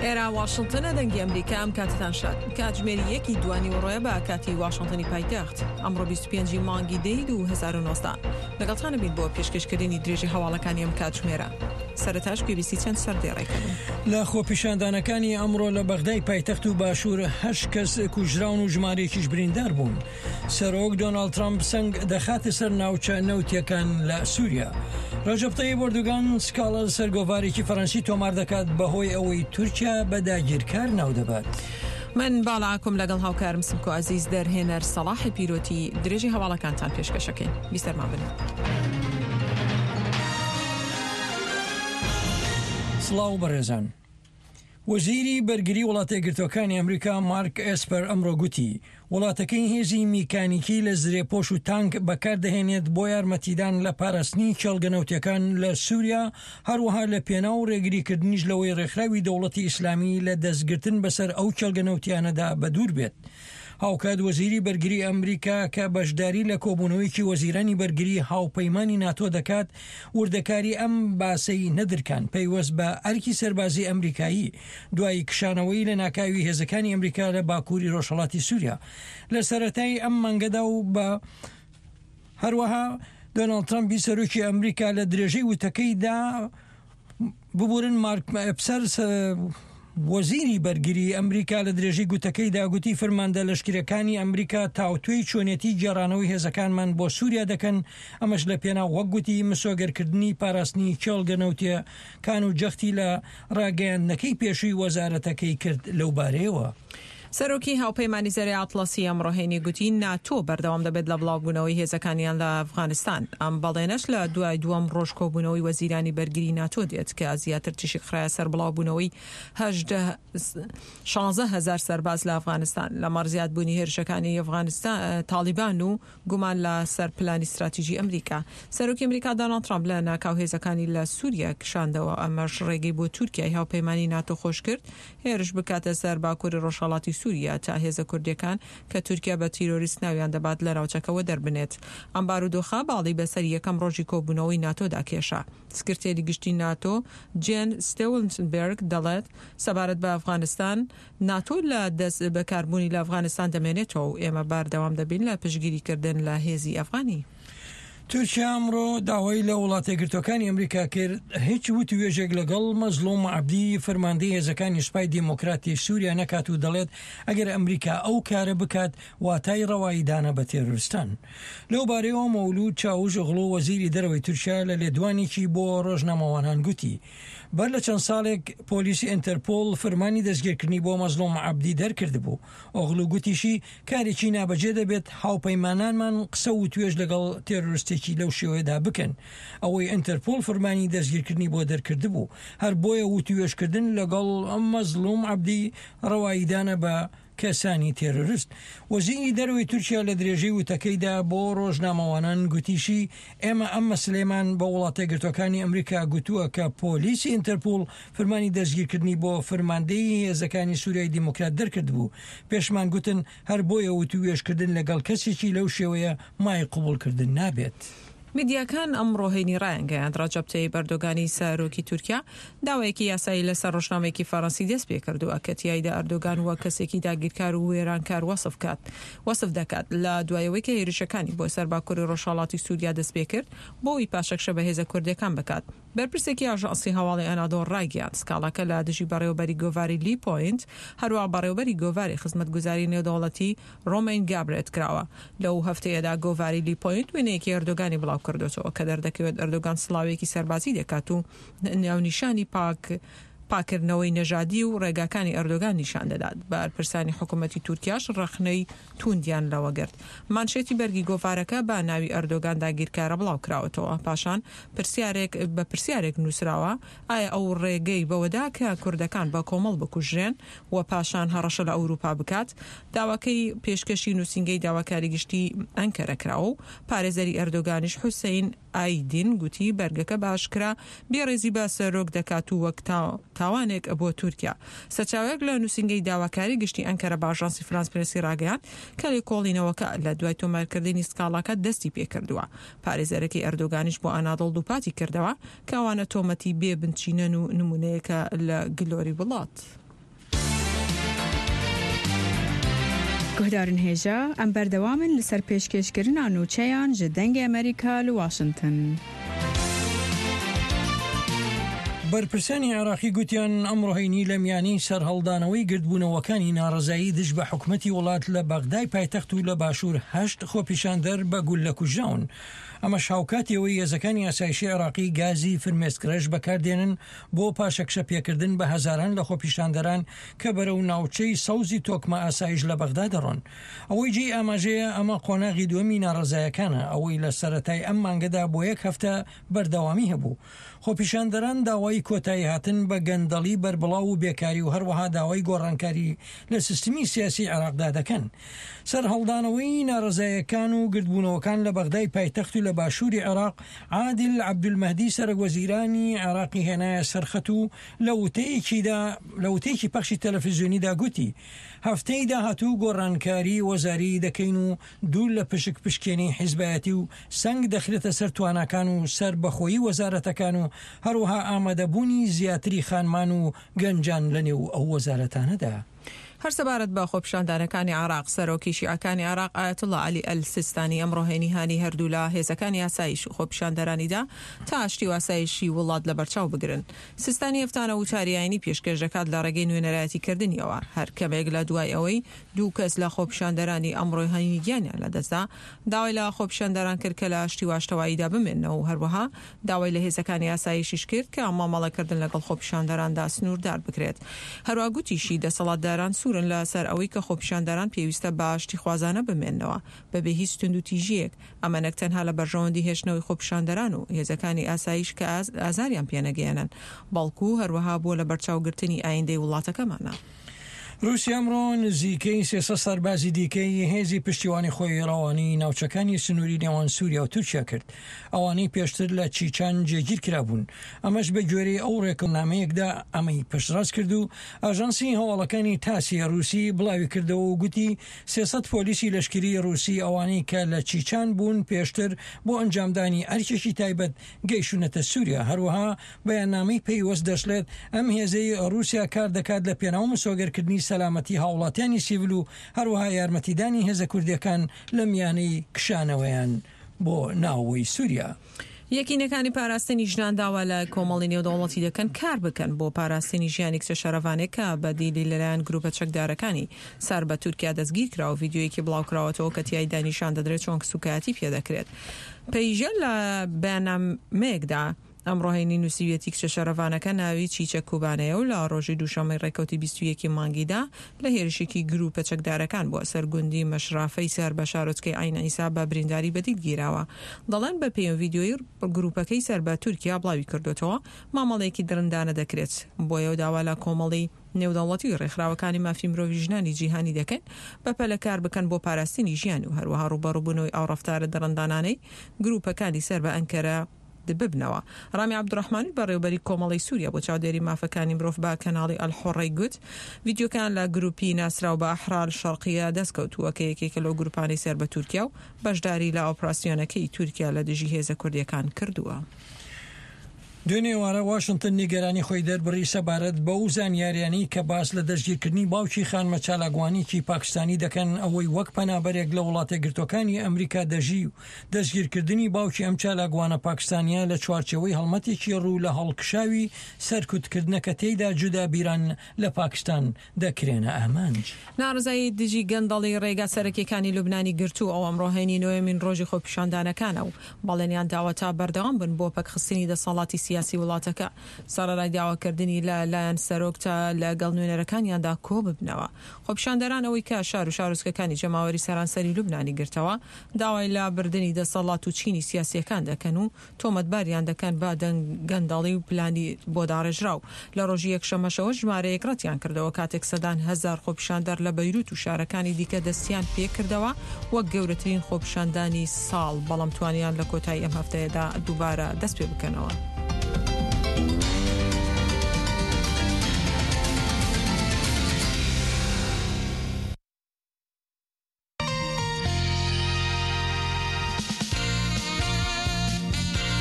ئێرە واشنتنە دەنگی ئەمریکا ئەم کاتتان شاد کاتژمێری یەکی دوانی وڕۆیە بە کاتی واشنتنی پایتەخت ئەمڕۆ 25 مانگی دەی 2019 لەگەڵتانە بین بۆ پێشکەشکردنی درێژی هەواڵەکانی ئەم کاتژمێرە سەرەتاش گوێبیستی چەند سەردێڕێکە بن. لە خۆپیشاندانەکانی ئەمڕۆ لە بەغدای پایتەخت و باشوور هەشت کەس کوژراون و ژمارەیەکیش بریندار بوون. سەرۆک دۆناڵد ترەمپ سەنگ دەخاتە سەر ناوچە نەوتییەکان لە سووریا. ڕەجەب تەیب ئەردۆگان سکاڵا لەسەر گۆڤارێکی فەرەنسی تۆمار دەکات بەهۆی ئەوەی تورکیا بە داگیرکار ناودەبات. من باڵا ئاکۆم لەگەڵ هاوکارم سمکۆ عەزیز دەرهێنەر سەڵاحی پیرۆتی درێژەی هەواڵەکانتان پێشکەشەکەین. بیسەرمان بن. سڵاو بەڕێزان. وەزیری بەرگری وڵاتەیەکگرتووەکانی ئەمریکا مارک ئێسپەر ئەمڕۆ گوتی، وڵاتەکەی هێزی میکانیکی لە زرێپۆش و تانک بەکاردەهێنێت بۆ یارمەتیدان لە پاراستنی کێڵگە نەوتیەکان لە سوریا، هەروەها لە پێناو ڕێگریکردنیش لەوەی ڕێکخراوی دەوڵەتی ئیسلامی لە دەستگرتن بەسەر ئەو کێڵگە نەوتیانەدا بەدوور بێت. هاوکات وەزیری بەرگری ئەمریکا کە بەشداری لە کۆبوونەوەیەکی وەزیرانی بەرگری هاوپەیمانی ناتۆ دەکات، وردەکاری ئەم باسەی نەدرکان پەیوەست بە ئەرکی سەربازی ئەمریکایی دوای کشانەوەی لەناکاوی هێزەکانی ئەمریکا لە باکووری ڕۆژهەڵاتی سووریا لە سەرەتای ئەم مانگەدا و بە هەروەها دۆناڵد ترەمپی سەرۆکی ئەمریکا لە درێژەی وتەکەیدا ببورن مارک ئەپسەر وەزیری بەرگری ئەمریکا لە درێژەی گوتەکەیدا گوتی فرماندە لەشکرەکانی ئەمریکا تاوتوێی چۆنێتی گێڕانەوەی هێزەکانمان بۆ سووریا دەکەن ئەمەش لە پێناو وەک گوتی مسۆگەرکردنی پاراستنی کێڵگە نەوتیەکان و جەختی لە ڕاگەیاندنەکەی پێشووی وەزارەتەکەی کرد لەو بارەیەوە. سەرۆکی هاوپەیمانی زەرەی ئەتڵەسی ئەمڕۆ هەینی گوتی، ناتۆ بەردەوام دەبێت لە بڵاوبوونەوەی هێزەکانیان لە ئەفغانستان. ئەم بەڵێنەش لە دوای دووەم ڕۆژ کۆبوونەوەی وەزیرانی بەرگری ناتۆ دێت کە زیاتر تیشک خرایە سەر بڵاوبوونەوەی 16000 سەرباز لە ئەفغانستان لەمەڕ زیادبوونی هێرشەکانی ئەفغانستان تاڵیبان و گومان لە سەر پلانی ستراتیژی ئەمریکا. سەرۆکی ئەمریکا داناڵد ترامپ لە ناکاو هێزەکانی لە سوریا کشاندەوە، ئەمەش ڕێگەی بۆ تورکیای هاوپەیمانی ناتۆ خۆشکرد هێرش بکاتە سەر باکوری ڕۆژهەڵاتی سوریا تا هێزە کوردیەکان کە تورکیا بە تیرۆریست ناویان دەبات لە ناوچەکە وەدەربنێت. ئەم بارودۆخە باڵی بەسەر یەکەم ڕۆژی کۆبوونەوەی ناتۆدا کێشا. سکرتێری گشتی ناتۆ جێن ستێولنبێرگ دەڵێت سەبارەت بە ئەفغانستان، ناتۆ لە دەست بەکاربوونی لە ئەفغانستان دەمێنێتەوە و ئێمە بەردەوام دەبین لە پشتگیریکردن لە هێزی ئەفغانی. تورکیا ئەمڕۆ داوای لە وڵاتەیەکگرتووەکانی ئەمریکا کرد هیچ وتوێژێک لەگەڵ مەزڵوم عەبدی فەرماندەی هێزەکانی سوپای دیموکراتی سوریا نەکات و دەڵێت ئەگەر ئەمریکا ئەو کارە بکات واتای ڕەواییدانە بە تێرۆرستان. لەو بارەیەوە مەولود چاوش ئۆغڵو وەزیری دەرەوەی تورکیا لە لێدوانێکی بۆ ڕۆژنامەوانان گوتی بەر لە چەند ساڵێک پۆلیسی ئینتەرپۆڵ فرمانی دەستگیرکردنی بۆ مەزڵوم عەبدی دەرکردبوو. ئۆغڵو گوتیشی، کارێکی نابەجێ دەبێت هاوپەیمانانمان قسە و وتوێژ لەگەڵ تێرۆرستێکی لەو شێوەیەدا بکەن، ئەوەی ئینتەرپۆڵ فرمانی دەستگیرکردنی بۆ دەرکردبوو. هەر بۆیە وتوێژکردن لەگەڵ مەزڵوم عەبدی ڕەواییدانە بە کەسانی تێرۆرست. وەزیری دەرەوەی تورکیا لە درێژەی وتەکەیدا بۆ ڕۆژنامەوانان گوتیشی، ئێمە ئەم مەسەلەیەمان بە وڵاتەیەکگرتووەکانی ئەمریکا گوتووە کە پۆلیسی ئینتەرپوڵ فرمانی دەستگیرکردنی بۆ فرماندەیی هێزەکانی سوریای دیموکرات دەرکردبوو. پێشمان گوتن هەر بۆیە وتووێژکردن لەگەڵ کەسێکی لەو شێوەیە مایەی قبوڵکردن نابێت. میدیاکان ئەمڕۆ هەینی ڕایانگەیاند، ڕەجەب تەیب ئەردۆگانی سەرۆکی تورکیا داوایەکی یاسایی لەسەر ڕۆژنامەیەکی فەرەنسی دەستپێکردووە کە تیایدا ئەردۆگان وەک کەسێکی داگیرکار و وێرانکار وەسف کات وەسف دەکات لە دوای ئەوەی کە هێرشەکانی بۆ سەر باکوری ڕۆژهەڵاتی سوریا دەستپێکرد بۆ ئەوەی پاشەکشە بە هێزە کوردەکان بکات. بەرپرسێکی ئاژانسی هەواڵی ئەنادۆڵ ڕایگەیاند، سکاڵاکە لە دژی بەڕێوەبەری گۆڤاری لی پۆینت، هەروەها بەڕێوەبەری گۆڤاری خزمەتگوزاری نێودەوڵەتی ڕۆمەین گابرێت کراوە. لەو هەفتەیەدا گۆڤاری لی پۆینت وێنەیەکی ئەردۆگانی بڵاوکردۆتەوە کە دەردەکەوێت ئەردۆگان سڵاوێکی سەربازی دەکات و ناونیشانی پاک پاککردنەوەی نەژادی و ڕێگاکانی ئەردۆگان نیشان دەدات. بەرپرسانی حکومەتی تورکیاش ڕەخنەی تووندیان لەوە گرت. مانشێتی بەرگی گۆڤارەکە بە ناوی ئەردۆگان داگیرکارە بڵاوکراوەتەوە. پاشان پرسیارێک بە پرسیارێک نووسراوە، ئایا ئەو ڕێگەی بەوەدا کە کوردەکان بە کۆمەڵ بکوژرێن و پاشان هەڕەشە لە ئەوروپا بکات؟ داواکەی پێشکەشی نووسینگەی داواکاری گشتی ئەنکەرە کراوە و پارێزەری ئەردۆگانیش حوسەین ئایدین گوتی بەرگەکە بە ئاشکرا بێڕێزی بە سەرۆک دەکات و وەک تاوانێک بۆ تورکیا. سەرچاوەیەک لە نووسینگەی داواکاری گشتی ئەنکەرە بە ئاژانسی فرانس پرێسی ڕاگەیاند کە لێکۆڵینەوەکە لە دوای تۆمارکردنی سکاڵاکە دەستی پێکردووە. پارێزەرەکەی ئەردۆگانیش بۆ ئانادۆڵ دووپاتی کردەوە کە ئەوانە تۆمەتی بێ بنچینەن و نموونەیەکە لە گلۆری وڵات. Guhdarên hêja, em berdewam in li ser pêşkêşkirina nûçeyan ji Dengê Amerîka li Washington. بەرپرسانی عێراقی گوتیان ئەمڕۆ هەینی لە میانی سەرهەڵدانەوەی گردبوونەوەکانی ناڕەزایی دژ بە حکومەتی وڵات لە بەغدای پایتەخت و لە باشوور هەشت خۆپیشاندەر بە گوللە کوژراون. ئەمەش هاوکاتی ئەوەی هێزەکانی ئاسایشی عێراقی گازی فرمێسکڕێژ بەکاردێنن بۆ پاشەکشە پێکردن بە هەزاران لە خۆپیشاندەران کە بەرەو ناوچەی سەوزی تۆکمە ئاسایش لە بەغدا دەڕۆن. ئەوەی جێی ئاماژەیە ئەمە قۆناغی دووەمی ناڕەزایەکانە ئەوەی لە سەرەتای ئەم مانگەدا بۆ یەک هەفتە بەردەوامی هەبوو. خۆپیشاندەران داوای کۆتاییهاتن بە گەندەڵی بەربڵاو و بێکاری و هەروەها داوای گۆڕانکاری لە سیستمی سیاسی عێراقدا دەکەن. سەرهەڵدانەوەی ناڕەزایەکان و گردبوونەوەکان لە بەغدای پایتەخت و لە باشووری عێراق، عادل عەبدولمەهدی سەرەکوەزیرانی عێراقی هێنایە سەر خەت و لە وتەیەکیدا لە وتەیەکی پەخشی تەلەفزیۆنیدا گوتی، هەفتەی داهاتوو گۆڕانکاری وەزاری دەکەین و دوور لە پشک پشکێنەی حیزبایەتی و سەنگ دەخرێتە سەر تواناکان و سەربەخۆیی وەزارەتەکان و هەروەها ئامادەبوونی زیاتری خانمان و گەنجان لەنێو ئەو وەزارەتانەدا. هەر سەبارەت بە خۆپیشاندانەکانی عێراق، سەرۆکی شیعەکانی عێراق ئایەتوڵا عەلی ئەلسیستانی ئەمڕۆ هەینی هانی هەردوولا هێزەکانی ئاسایش و خۆپیشاندەرانی دا تا ئاشتی و ئاسایشی وڵات لەبەرچاو بگرن. سیستانی هەفتانە وتاری ئاینی پێشکێش دەکات لە ڕێگەی نوێنەرایەتی کردنیەوە هەر کەمێک لە دوای ئەوەی دوو کەس لە خۆپیشاندەرانی ئەمڕۆی هەینی گیانیان لەدەستدا داوای لە خۆپیشاندەران کرد کە لە ئاشتی و ئاشتەواییدا بمێننەوە و هەروەها داوای لە هێزەکانی ئاسایشیش کرد کە مامەڵەکردن لەگەڵ خۆپیشاندەراندا سنووردار بکرێت. هەروەها گوتیشی دەسەڵاتداران سوورن لە سەر ئەوەی کە خۆپیشاندەران پێویستە بە ئاشتیخوازانە بمێننەوە بەبێ هیچ توندوتیژییەک، ئەمە نەک تەنها لە بەرژەوەندی هێشتنەوەی خۆپیشاندەران و هێزەکانی ئاسایش کە ئازاریان پێنەگەیەنن، بەڵکو هەروەها بۆ لەبەرچاوگرتنی ئایندەی وڵاتەکەمانە. رووسیا ئەمڕۆ نزیکەی 300 سەربازی دیکەی هێزی پشتیوانی خۆی ڕەوانەی ناوچەکانی سنووری نێوان سووریا و تورکیا کرد، ئەوانەی پێشتر لە چیچان جێگیر کرابوون. ئەمەش بە گوێرەی ئەو ڕێکەونامەیەکدا ئەمەی پشتڕاست کرد و ئاژانسی هەواڵەکانی تاسی ڕووسی بڵاوی کردەوە و گوتی 300 پۆلیسی لەشکری ڕووسی ئەوانەی کە لە چیچان بوون پێشتر بۆ ئەنجامدانی ئەرکێکی تایبەت گەیشتوونەتە سووریا. هەروەها بەیاننامەی پەیوەست دەشڵێت، ئەم هێزەی ڕووسیا کار دەکات لە پێناو مسۆگەرکردنی سەلامەتی هاوڵاتیانی سیڤل و هەروەها یارمەتیدانی هێزە کوردیەکان لە میانەی کشانەوەیان بۆ ناوەوەی سووریا. یەکینەکانی پاراستنی ژنان داوا لە کۆمەڵی نێودەوڵەتی دەکەن کار بکەن بۆ پاراستنی ژیانی کچە شەرەڤانێک کە بە دیلی لەلایەن گروپە چەکدارەکانی سەر بە تورکیا دەستگیرکرا و ڤیدیۆیەکی بڵاوکراوەتەوە کە تیایدا نیشان دەدرێت چۆن سوکایەتی پێدەکرێت. پەیژە لە بەیاننامەیەکدا ئەمڕۆ هەینی نووسیویەتی کچە شەرەڤانەکە ناوی چیچەک کوبانەیە و لە ڕۆژی دووشەممەی ڕێکەوتی 21 ی مانگیدا لە هێرشێکی گرووپە چەکدارەکان بۆ سەر گوندی مەشرافەی سەر بە شارۆچکەی عەین عیسا بە برینداری بە دیل گیراوە. دەڵێن بە پێی ڤیدیۆی گرووپەکەی سەر بە تورکیا بڵاوی کردۆتەوە مامەڵەیەکی دڕندانە دەکرێت. بۆیە داوا لە کۆمەڵی نێودەوڵەتی و ڕێکخراوەکانی مافی مرۆڤی ژنانی جیهانی دەکەین بەپەلە کار بکەن بۆ پاراستنی ژیان و هەروەها ڕووبەڕووبوونەوەی ئەو ڕەفتارە دڕندانانەی گرووپەکانی سەر بە ئەنکەرە ببنەوە. ڕامی عەبدولڕەحمانی بەڕێوەبەری کۆمەڵەی سووریا بۆ چاودێری مافەکانی مرۆڤ بە کەناڵی ئەلحوڕەی گوت، ڤیدیۆکان لە گرووپی ناسراو بە ئەحرار شەرقیە دەستکەوتووە کە یەکێکە لەو گرووپانەی سەر بە تورکیا و بەشداری لە ئۆپراسیۆنەکەی تورکیا لە دژی هێزە کوردییەکان کردووە. دوێنێ ئێوارە واشنتن نیگەرانی خۆی دەربڕی سەبارەت بەو زانیاریانەی کە باس لە دەستگیرکردنی باوکی خانمە چالاکوانێکی پاکستانی دەکەن ئەوەی وەک پەنابەرێک لە وڵاتەیەکگرتووەکانی ئەمریکا دەژی و دەستگیرکردنی باوکی ئەم چالاکوانە پاکستانییە لە چوارچێوەی هەڵمەتێکی ڕوو لە هەڵکشاوی سەرکوتکردنە کە تێیدا جودابیران لە پاکستان دەکرێنە ئامانج. ناڕەزایی دژی گەندەڵی ڕێگا سەرەکییەکانی لوبنانی گرتوو، ئەو ئەمڕۆ هەینی نۆیەمین ڕۆژی خۆپیشاندانەکانە و بەڵێنیان داوە تا بەردەوام بن بۆ پەکخستنی دەسەڵاتی سیاسی وڵاتەکە، سەڕەرای داواکردنی لە لایەن سەرۆک تا لەگەڵ نوێنەرەکانیاندا کۆببنەوە. خۆپیشاندەران ئەوەی کە شار و شارۆچکەکانی جەماوەری سەرانسەری لوبنانی گرتەوە، داوای لابردنی دەسەڵات و چینی سیاسییەکان دەکەن و تۆمەتباریان دەکەن بە گەندەڵی و پلانی بۆ داڕێژراو. لە ڕۆژی یەکشەممەشەوە ژمارەیەک ڕەتیان کردەوە کاتێک سەدان هەزار خۆپیشاندەر لە بەیروت و شارەکانی دیکە دەستیان پێکردەوە وەک گەورەترین خۆپیشاندانی ساڵ، بەڵام توانیان لە کۆتایی ئەم هەفتەیەدا دووبارە دەستپێبکەنەوە.